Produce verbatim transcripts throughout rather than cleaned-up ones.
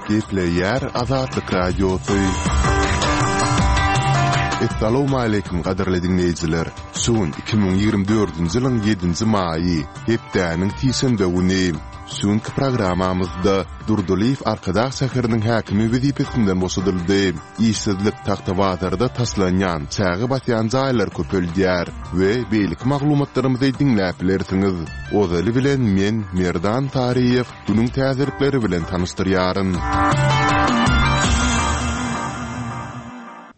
Gepleýär Azatlyk Radiosy. Essalawmaleýkim gadyrly diňleýjiler! Şu gün iki müň ýigrimi dördünji ýylyň ýedinji maýy, hepdäniň sişenbe güni. Şu günki programmamyzda Durdylyýew Arkadag şäheriniň häkimi wezipesinden boşadyldy. Işsizlik Tagtabazarda taşlanýan, çäge basýan jaýlary köpeldýär we beýleki maglumatlarymyzy diňläp bilersiňiz. Ozaly bilen men, Merdan Saryýew, günüň täzelikleri bilen tanyşdyrýaryn.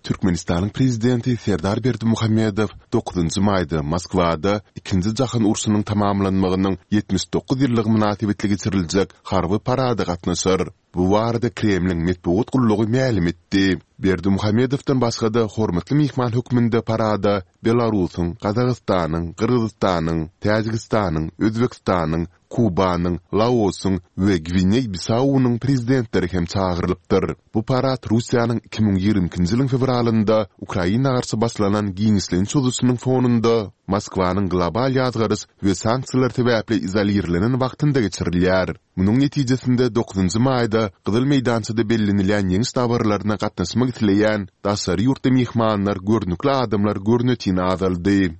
Türkmenistanyň Prezidenti Serdar Berdimuhamedow dokuzynjy maýda Moskwada Ikinji jahan urşunyň tamamlanmagynyň ýetmiş dokuz ýyllygy mynasybetli geçiriljek harby parada gatnaşar. Bu barada Kremliň metbugat gullugy mälim etdi. Berdimuhamedowdan başga-da hormatly myhman hökmünde parada Belarusyň, Gazagystanyň, Gyrgyzystanyň, Täjigistanyň, Özbegistanyň, Kubanyň, Laosyň we Gwineý-Bisaunyň prezidentleri hem çagyrylypdyr. Bu parad Russiýanyň iki müň ýigrimi ikinji ýylyň fewralynda Ukraina garşy başlanan giňişleýin çozuşynyň fonunda Moskwanyň global ýazgaryş we sanksiýalar sebäpli izolirlenen wagtynda geçirilýär. Munuň netijesinde dokuzynjy maýda Gyzyl meýdançada bellenilýän ýeňiş dabaralaryna gatnaşmak isleýän daşary ýurtly myhmanlar, görnükli adamlar görnetin azaldy.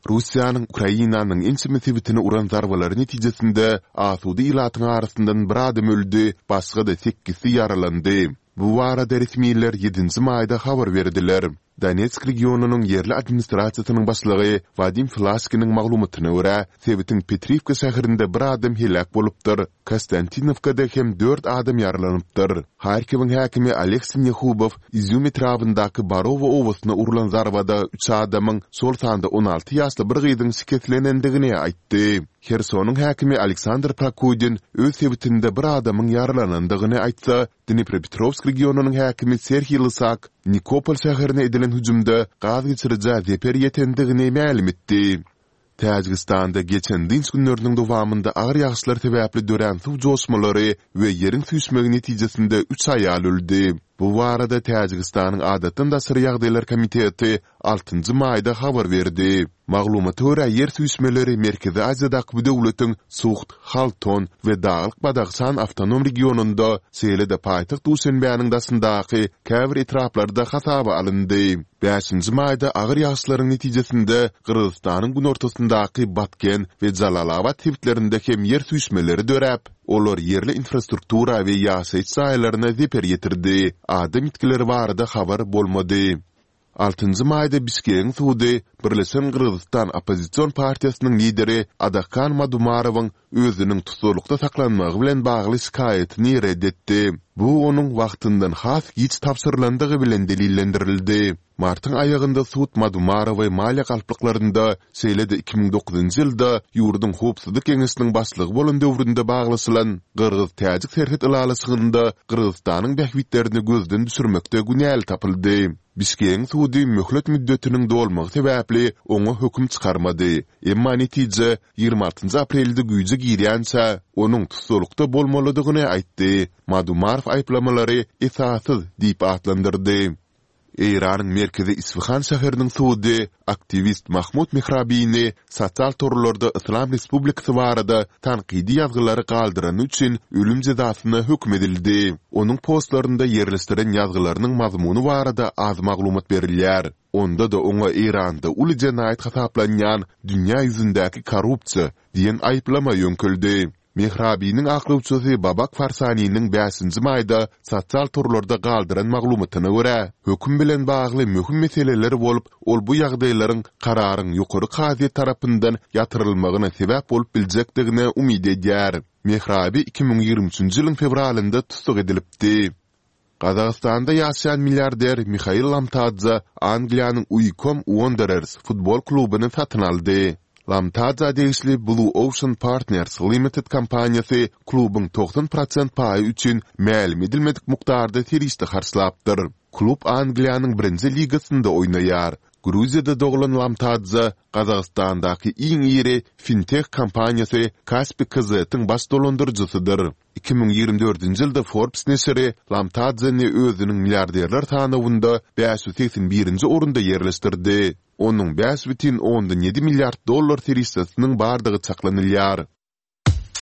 Russiýanyň Ukrainanyň ençeme sebitine uran zarbalary netijesinde asuda ilatyň arasyndan bir adam öldi, başga-da sekizsi ýaralandy. Bu barada resmiler ýedinji maýda habar berdiler. Donetsk regionynyň ýerli administrasiýasynyň başlygy Wadim Filaşkiniň maglumatyna görä, sebitiň Petriwka şäherinde bir adam heläk bolupdyr, Konstantinowkada hem dört adam ýaralanypdyr. Harkowyň häkimi Oleg Sinehubow Izýum etrabyndaky Barowo obasyna urlan zarbada üç adamyň, şol sanda on alty ýaşly bir gyzyň şikeslenendigini aýtdy. Hersonyň häkimi Aleksandr Prokudin öz sebitinde bir adamyň ýaralanandygyny aýtsa, Dniprepetrowsk regionynyň häkimi Serhiý Lysak Nikopol şäherine edilen hüjümde gaz geçirijä zeper ýetendigini mälim etdi. Täjigistanda geçen dynç günleriniň dowamynda agyr ýagyşlar sebäpli dörän suw joşmalary we ýeriň süýşmegi netijesinde üç aýal öldi. Bu barada Täjigistanyň Adatdan daşary ýagdaýlar komiteti altynjy maýda habar berdi. Maglumata görä, ýer süýşmeleri Merkezi Aziýadaky bu döwletiň Suhd, Halton we Daglyk-Badahşan awtonom regionynda, şeýle-de paýtagt Duşenbäniň daşyndaky käbir etraplarda hasaba alyndy. Bäşinji maýda agyr ýagyşlaryň netijesinde Gyrgyzystanyň günortasyndaky Batken we Jalalabat sebitlerinde hem ýer süýşmeleri döräp, olar ýerli infrastruktura we ýaşaýyş jaýlaryna zeper ýetirdi. Adam ýitgileri barada habar bolmady. Altynjy maýda Bişkegiň sudy Birleşen Gyrgyzystan oppozision partiýasynyň lideri Adakhan Madumarowyň özüniň tussaglykda saklanmagy bilen bagly şikaýatyny ret etdi. Bu onuň wagtyndan has giç tabşyrylandygy bilen delillendirildi. Martyň aýagynda sud Madumarowy maliýe galplyklarynda, şeýle-de iki müň dokuzynjy ýylda ýurduň Howpsuzlyk geňeşiniň başlygy bolan döwründe baglaşylan gyrgyz-täjik serhet ylalaşygynda Gyrgyzystanyň bähbitlerini gözden düşürmekde günäli tapyldy. Bişkegiň sudy möhlet müddetiniň dolmagy sebäpli oňa höküm çykarmady, emma netije ýigrimi altynjy aprelde güýje girýänçä, onuň tussaglykda bolmalydygyny aýtdy. Madumarow aýyplamalary esassyz diýip atlandyrdy. Eýranyň merkezi Isfahan şäheriniň sudy aktiwist Mahmud Mehrabini sosial torlarda Yslam Respublikasy barada tankydy ýazgylary galdyrany üçin ölüm jezasyna höküm edildi. Onuň postlarynda ýerleşdiren ýazgylarynyň mazmuny barada az maglumat berilýär. Onda-da oňa Eýranda uly jenaýat hasaplanýan dünýä ýüzündäki korrupsiýa diýen aýyplama ýöňkeldi. Mehrabiniň aklawçysy Babak Farsaniniň bäşinji maýda sosial torlarda galdyran maglumatyna görä, höküm bilen bagly möhüm meseleler bolup, ol bu ýagdaýlaryň kararyň ýokary kazyýet tarapyndan ýatyrylmagyna sebäp bolup biljekdigine umyt edýär. Mehrabi iki müň ýigrimi üçünji ýylyň fewralynda tussag edilipdi. Gazagystanda ýaşaýan milliarder Mihail Lamtadze Angliýanyň Uikom Uonderers futbol klubuny satyn aldy. Lamtadzä degişli Blue Ocean Partners Limited kompaniýasy klubuň togsan prosent paýy üçin mälim edilmedik mukdarda serişde harçlapdyr. Klub Angliýanyň birinji ligasynda oýnaýar. Gruziýada doglan Lamtadze Gazagystandaky iň iri finteh kompaniýasy Kaspi KZ-iň baş dolandyryjysydyr. Iki müň ýigrimi dördünji ýylda Forbes neşiri Lamtadzeni özüniň milliarderler sanawynda bäş ýüz segsen birinji orunda ýerleşdirdi. Onuň bäş bütin ondan ýedi milliard dollar serişdesiniň bardygy çaklanylýar.